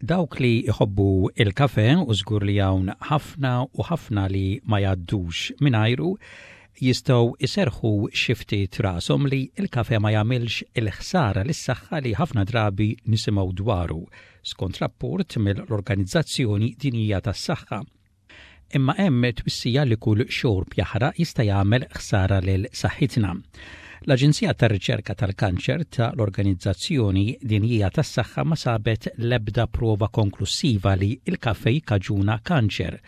Dawk li jħobbu il-kafe u żgur li hawn ħafna u ħafna li ma jgħaddux mingħajru jistgħu jserrħu xi ftit rashom li l-kafe ma jagħmilx il-ħsara lis-saħħa li ħafna drabi nisimgħu dwaru, skont rapport mill-Organizzazzjoni Dinjija tas-Saħħa. Imma hemm twissija li kull xorb jaħraq jista' jagħmel ħsara lil saħħitna. L-Aġenzija tar-Riċerka tal-Kanċer ta' l-Organizzazzjoni Dinjija tas-Saħħa ma sabet l-ebda prova konklussiva li l-kafe jikkaġuna kanċer.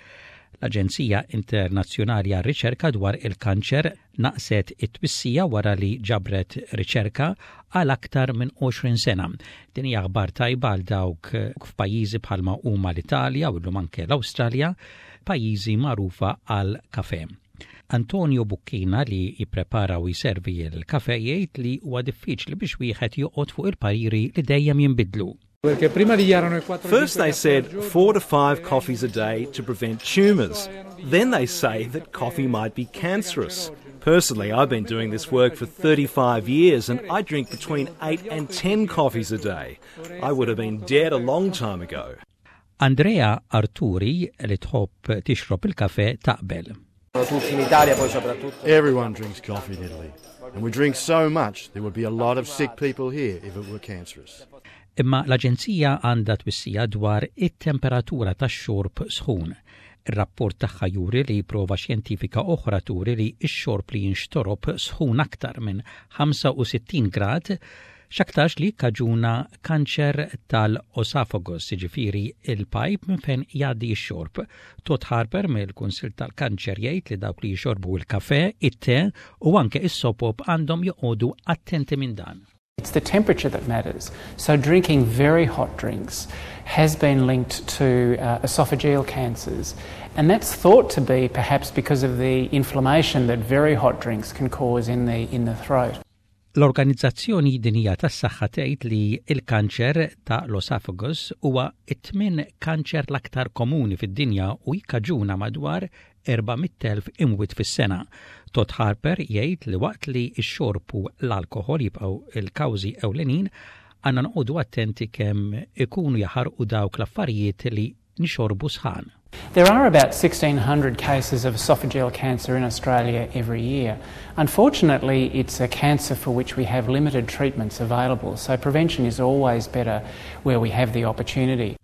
L-Aġenzija Internazzjonali għar-Riċerka dwar il-Kanċer naqset it-twissija wara li ġabret riċerka għal aktar minn 20 sena. Din hija aħbar tajba għal dawk f'pajjiżi bħalma huma l-Italja u llum anke l-Awstralja, pajjiżi magħrufa għal kafe. Antonio Bucchina li jipprepara u jservi l-kafe jgħid li huwa diffiċli biex wieħed joqgħod fuq il-pariri li dejjem jinbidlu. First they said four to five coffees a day to prevent tumours. Then they say that coffee might be cancerous. Personally, I've been doing this work for 35 years and I drink between 8 and 10 coffees a day. I would have been dead a long time ago. Andrea Arturi li tħobb tixrob il-kafe taqbel. Everyone drinks coffee in Italy. And we drink so much, there would be a lot of sick people here if it were cancerous. Imma l-Aġenzija għandha twissija dwar it-temperatura tax-xorb sħun. Ir-rapport tagħha juri li prova xjentifika oħra turi li x-xorb li jinxtorob sħun aktar minn 65 grad x'aktarx li jikkaġuna kanċer tal-oesophagus, jiġifieri il-pajp minn fejn jgħaddi x-xorb. Todd Harper mill-Kunsill tal-Kanċer jgħid li dawk li jixorbu l-kafe, it-te u anke is-sopop għandhom joqogħdu attenti minn dan. It's the temperature that matters. So drinking very hot drinks has been linked to esophageal cancers. And that's thought to be perhaps because of the inflammation that very hot drinks can cause in the, in the throat. L-Organizzazzjoni Dinjija tas-Saħħa tgħid li l-kanċer ta' l-oesophagus huwa t-tmien kanċer l-aktar komuni fid-dinja u jikkaġuna madwar 400,000 imwiet fis-sena. Todd Harper jgħid li waqt li x-xorb u l-alkoħol jibqgħu l-kawżi ewlenin, għandna noqogħdu attenti kemm ikunu jaħarqu dawk l-affarijiet li nixorbu sħan. There are about 1,600 cases of esophageal cancer in Australia every year. Unfortunately, it's a cancer for which we have limited treatments available, so prevention is always better where we have the opportunity.